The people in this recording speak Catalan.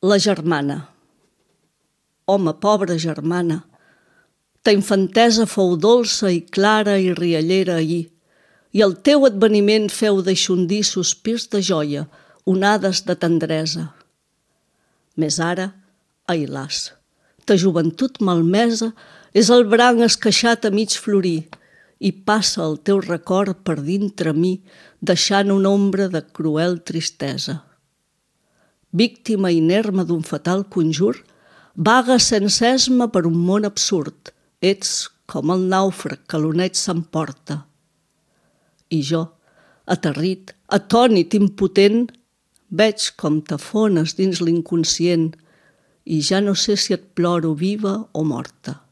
La germana. Home, pobra germana, ta infantesa fou dolça i clara i riallera ahir, i el teu adveniment feu deixondir sospirs de joia, onades de tendresa. Més ara, ai las, ta joventut malmesa és el branc esqueixat a mig florir, i passa el teu record per dintre mi, deixant una ombra de cruel tristesa. Víctima inerme d'un fatal conjur, vaga sense esma per un món absurd, ets com el nàufrag que l'oneig s'emporta. I jo, aterrit, atònit, impotent, veig com t'afones dins l'inconscient i ja no sé si et ploro viva o morta.